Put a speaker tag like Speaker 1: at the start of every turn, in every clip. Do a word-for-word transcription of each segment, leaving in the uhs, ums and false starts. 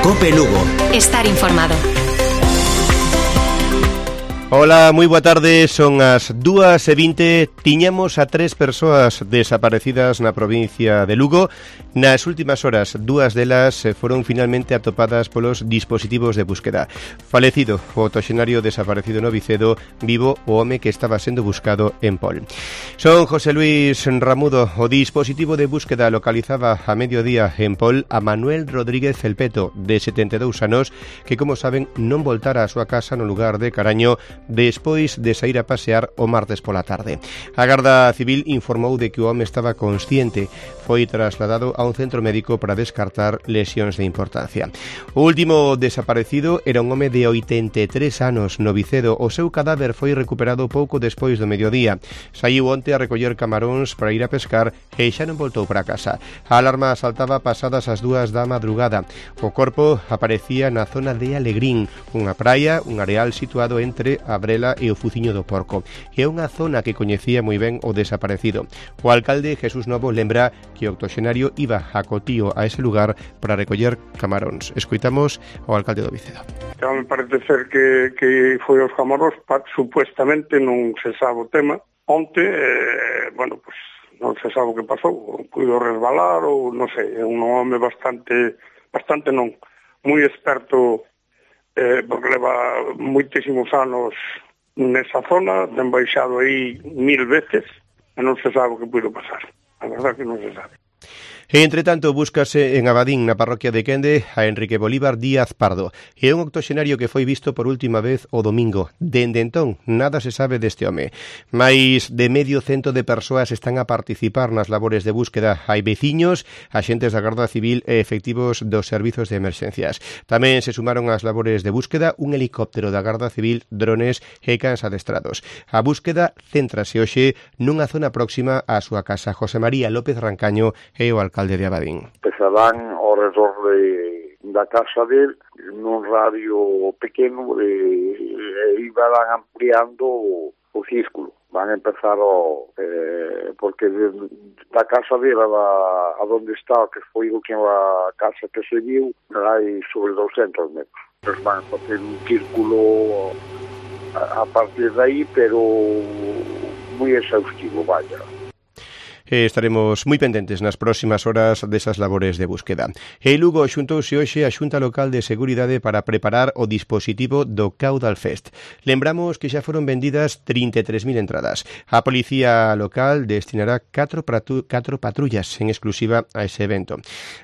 Speaker 1: Cope Lugo.
Speaker 2: Estar informado.
Speaker 3: Ola, moi boa tarde, son as dúas e vinte. Tiñamos a tres persoas desaparecidas na provincia de Lugo. Nas últimas horas, dúas delas foron finalmente atopadas polos dispositivos de búsqueda. Falecido o octoxenario desaparecido no Vicedo, vivo o home que estaba sendo buscado en Pol. Son José Luis Ramudo. O dispositivo de búsqueda localizaba a mediodía en Pol a Manuel Rodríguez Felpeto, de setenta e dous anos, que, como saben, non voltara a súa casa no lugar de Caraño despois de sair a pasear o martes pola tarde. A Garda Civil informou de que o home estaba consciente. Foi trasladado a un centro médico para descartar lesións de importancia. O último desaparecido era un home de oitenta e tres anos no Vicedo. O seu cadáver foi recuperado pouco despois do mediodía. Saiu onte a recoller camaróns para ir a pescar e xa non voltou para casa. A alarma saltaba pasadas as dúas da madrugada. O corpo aparecía na zona de Alegrín, unha praia, un areal situado entre a Brela e o Fuciño do Porco. É unha zona que coñecía moi ben o desaparecido. O alcalde Jesús Novo lembra que o octoxenario iba a Cotío a ese lugar para recoller camaróns. Escoitamos ao alcalde do Vicedo.
Speaker 4: Xa me parece ser que, que foi os camaróns, pa, supuestamente non se sabe o tema. Onte, eh, bueno, pues non se sabe o que pasou, puido resbalar ou non sei, é un home bastante, bastante non, moi experto, eh, porque leva moitísimos anos nesa zona, ten baixado aí mil veces e non se sabe o que puido pasar. A verdade que non se sabe.
Speaker 3: E, entre tanto, búscase en Abadín, na parroquia de Quende, a Enrique Bolívar Díaz Pardo. É un octoxenario que foi visto por última vez o domingo. Dende entón, nada se sabe deste home. Mais de medio cento de persoas están a participar nas labores de búsqueda. Hai veciños, axentes da Garda Civil e efectivos dos servizos de emerxencias. Tamén se sumaron ás labores de búsqueda un helicóptero da Garda Civil, drones e cans adestrados. A búsqueda céntrase hoxe nunha zona próxima á súa casa. José María López Rancaño é o alcalde de Abadín.
Speaker 5: Empezarán ao redor de, da casa del nun radio pequeno e, e iban ampliando o, o círculo. Van a empezar o, eh, porque de, da casa dela a, a donde está, que foi o que a casa que se viu, hai sobre doscentos metros. Entonces van a facer un círculo a, a partir de aí, pero moi exhaustivo, vaya.
Speaker 3: E estaremos moi pendentes nas próximas horas desas labores de búsqueda. E Lugo xuntouse hoxe a Xunta Local de Seguridade para preparar o dispositivo do Caudal Fest. Lembramos que xa foron vendidas trinta e tres mil entradas. A Policía Local destinará catro patrullas en exclusiva a ese evento.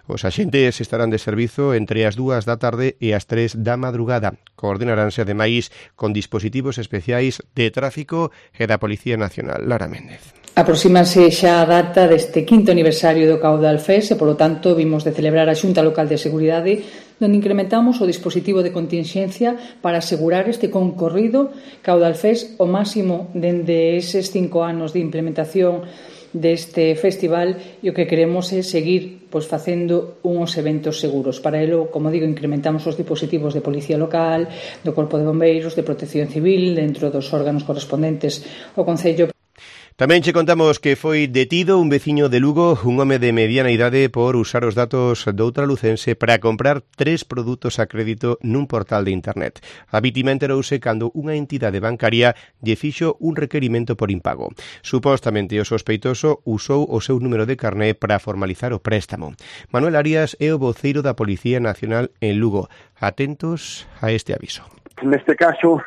Speaker 3: Os axentes estarán de servizo entre as dúas da tarde e as tres da madrugada. Coordinaránse ademais con dispositivos especiais de tráfico e da Policía Nacional. Lara Méndez.
Speaker 6: Aproxímase xa a data deste quinto aniversario do Caudal Fest e, polo tanto, vimos de celebrar a Xunta Local de Seguridade, onde incrementamos o dispositivo de contingencia para asegurar este concorrido Caudal Fest o máximo dende eses cinco anos de implementación deste festival, e o que queremos é seguir pois, facendo uns eventos seguros. Para ello, como digo, incrementamos os dispositivos de Policía Local, do Corpo de Bombeiros, de Protección Civil, dentro dos órganos correspondentes ao Concello.
Speaker 3: Tamén che contamos que foi detido un veciño de Lugo, un home de mediana idade, por usar os datos doutra lucense para comprar tres produtos a crédito nun portal de internet. A vítima enterouse cando unha entidade bancaria lle fixo un requerimento por impago. Supostamente o sospeitoso usou o seu número de carné para formalizar o préstamo. Manuel Arias é o voceiro da Policía Nacional en Lugo. Atentos a este aviso.
Speaker 7: Neste caso,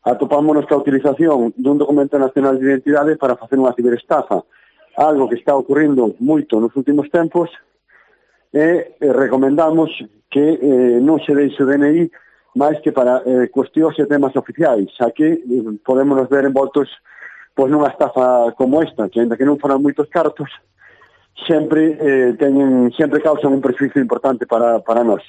Speaker 7: atopamos nuestra utilización dun documento nacional de identidade para facer unha ciberestafa, algo que está ocurrindo moito nos últimos tempos, e eh, recomendamos que eh, non se deixe o D N I máis que para eh, cuestións e temas oficiais, xa que eh, podemos nos ver envoltos pois, nunha estafa como esta, que ainda que non foran moitos cartos, sempre eh, teñen, sempre causan un prejuízo importante para, para nós.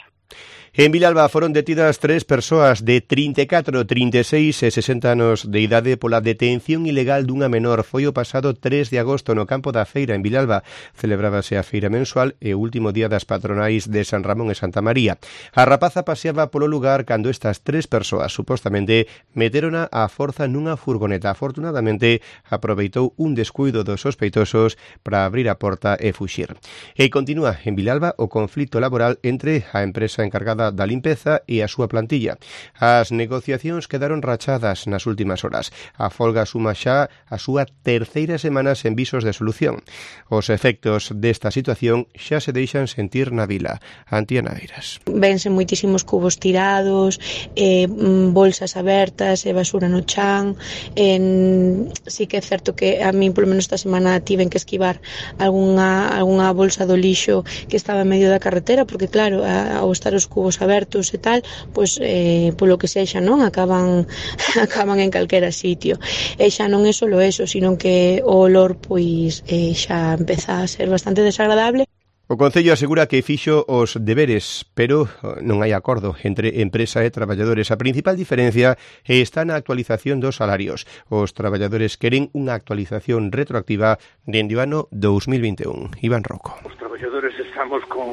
Speaker 3: En Vilalba foron detidas tres persoas de trinta e catro, trinta e seis e sesenta anos de idade pola detención ilegal dunha menor. Foi o pasado tres de agosto no campo da feira en Vilalba. Celebrábase a feira mensual e o último día das patronais de San Ramón e Santa María. A rapaza paseaba polo lugar cando estas tres persoas supostamente meterona a forza nunha furgoneta. Afortunadamente aproveitou un descuido dos sospeitosos para abrir a porta e fuxir. E continúa en Vilalba o conflito laboral entre a empresa empresa encargada da limpeza e a súa plantilla. As negociacións quedaron rachadas nas últimas horas. A folga suma xa a súa terceira semana sen visos de solución. Os efectos desta situación xa se deixan sentir na vila. Antía Naveiras.
Speaker 1: Vense moitísimos cubos tirados, eh, bolsas abertas e basura no chan. En... Sí que é certo que a mí, polo menos esta semana, tiven que esquivar algunha, algunha bolsa do lixo que estaba en medio da carretera, porque claro, ao estar os cubos abertos e tal, pois eh, polo que sexa, non? Acaban acaban en calquera sitio. E xa non é solo eso, sino que o olor pois eh, xa empeza a ser bastante desagradable.
Speaker 3: O Concello asegura que fixo os deberes, pero non hai acordo entre empresa e traballadores. A principal diferencia está na actualización dos salarios. Os traballadores queren unha actualización retroactiva dende o ano dous mil vinte e un. Iván Rocco.
Speaker 2: Os traballadores estamos con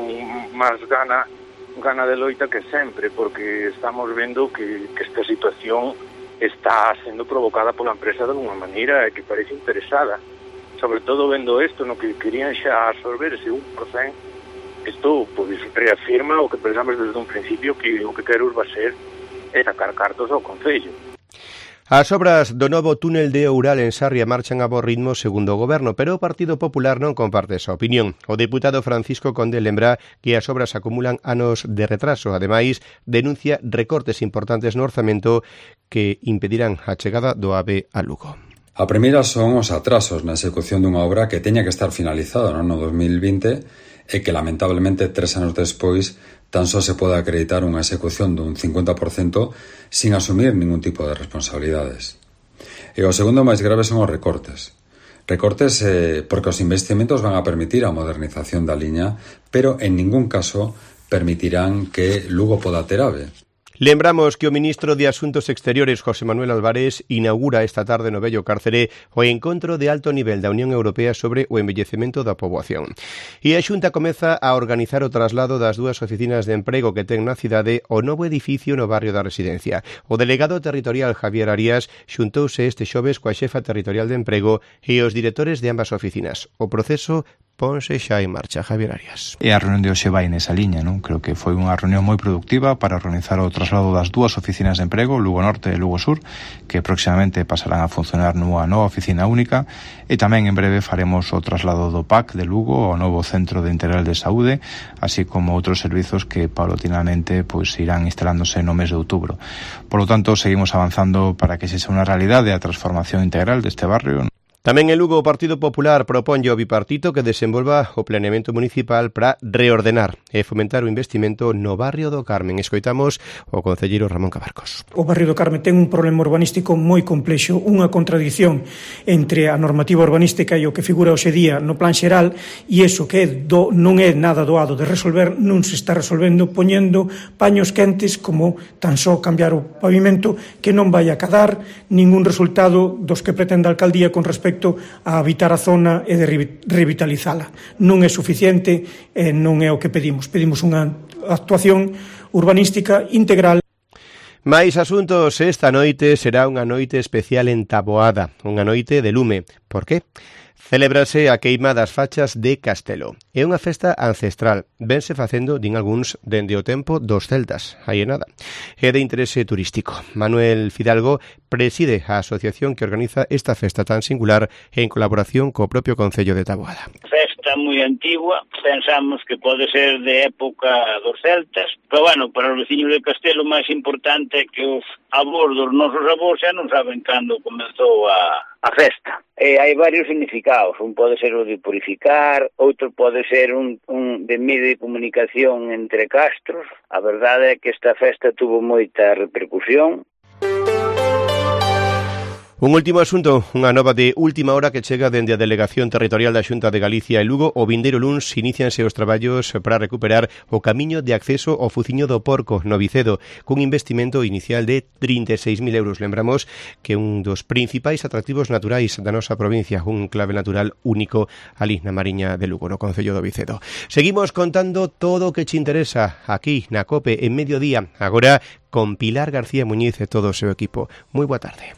Speaker 2: máis gana, gana de loita que sempre, porque estamos vendo que, que esta situación está sendo provocada pola empresa de alguma maneira e que parece interesada. Sobre todo vendo isto, no que querían xa absorber ese un por cento, isto pois, reafirma o que pensamos desde un principio, que o que quero va ser é sacar cartos ao Concello.
Speaker 3: As obras do novo túnel de Oural en Sarria marchan a bo ritmo segundo o Goberno, pero o Partido Popular non comparte esa opinión. O deputado Francisco Conde lembra que as obras acumulan anos de retraso. Ademais, denuncia recortes importantes no orzamento que impedirán a chegada do AVE a Lugo.
Speaker 8: A primeira son os atrasos na execución dunha obra que teña que estar finalizada no ano dos mil vinte e que, lamentablemente, tres anos despois tan só se pode acreditar unha execución dun cincuenta por cento sin asumir ningún tipo de responsabilidades. E o segundo máis grave son os recortes. Recortes eh, porque os investimentos van a permitir a modernización da liña, pero en ningún caso permitirán que Lugo poda ter AVE.
Speaker 3: Lembramos que o ministro de Asuntos Exteriores, José Manuel Álvarez, inaugura esta tarde no vello Cárcere o encontro de alto nivel da Unión Europea sobre o envellecemento da poboación. E a Xunta comeza a organizar o traslado das dúas oficinas de emprego que ten na cidade ao novo edificio no barrio da Residencia. O delegado territorial Javier Arias xuntouse este xoves coa xefa territorial de emprego e os directores de ambas oficinas. O proceso ponse xa en marcha. Javier Arias.
Speaker 9: E a reunión de hoxe vai nesa liña, non? Creo que foi unha reunión moi productiva para organizar o traslado das dúas oficinas de emprego, Lugo Norte e Lugo Sur, que próximamente pasarán a funcionar nunha nova oficina única, e tamén en breve faremos o traslado do P A C de Lugo ao novo Centro de Integral de Saúde, así como outros servizos que paulatinamente pois irán instalándose no mes de outubro. Por lo tanto, seguimos avanzando para que sexa unha realidade a transformación integral deste barrio.
Speaker 3: Tamén en Lugo o Partido Popular proponlle ao bipartito que desenvolva o planeamento municipal para reordenar e fomentar o investimento no barrio do Carmen. Escoitamos o concelleiro Ramón Cabarcos.
Speaker 10: O barrio do Carmen ten un problema urbanístico moi complexo, unha contradición entre a normativa urbanística e o que figura hoxe día no plan xeral, e iso que é do, non é nada doado de resolver, non se está resolvendo poñendo paños quentes como tan só cambiar o pavimento, que non vai a cadar ningún resultado dos que pretende a alcaldía con respecto a habitar a zona e de revitalizala. Non é suficiente e non é o que pedimos. Pedimos unha actuación urbanística integral.
Speaker 3: Mais asuntos, esta noite será unha noite especial en Taboada, unha noite de lume. Por qué? Celébrase a queima das fachas de Castelo. É unha festa ancestral. Vense facendo, din algúns, dende o tempo dos celtas. Aí é nada. É de interese turístico. Manuel Fidalgo preside a asociación que organiza esta festa tan singular en colaboración co propio Concello de Taboada.
Speaker 11: Festa moi antigua, pensamos que pode ser de época dos celtas, pero bueno, para os veciños de Castelo o máis importante é que os avós dos nosos avós xa non saben cando comezou a, a festa. E hai varios significados, un pode ser o de purificar, outro pode ser un, un de medio de comunicación entre castros. A verdade é que esta festa tuvo moita repercusión.
Speaker 3: Un último asunto, unha nova de última hora que chega dende a Delegación Territorial da Xunta de Galicia e Lugo. O vindeiro luns inicianse os traballos para recuperar o camiño de acceso ao Fuciño do Porco no Vicedo, cun investimento inicial de trinta e seis mil euros. Lembramos que un dos principais atractivos naturais da nosa provincia, un clave natural único ali na Mariña de Lugo, no Concello do Vicedo. Seguimos contando todo o que che interesa aquí na COPE en mediodía, agora con Pilar García Muñiz e todo o seu equipo. Moi boa tarde.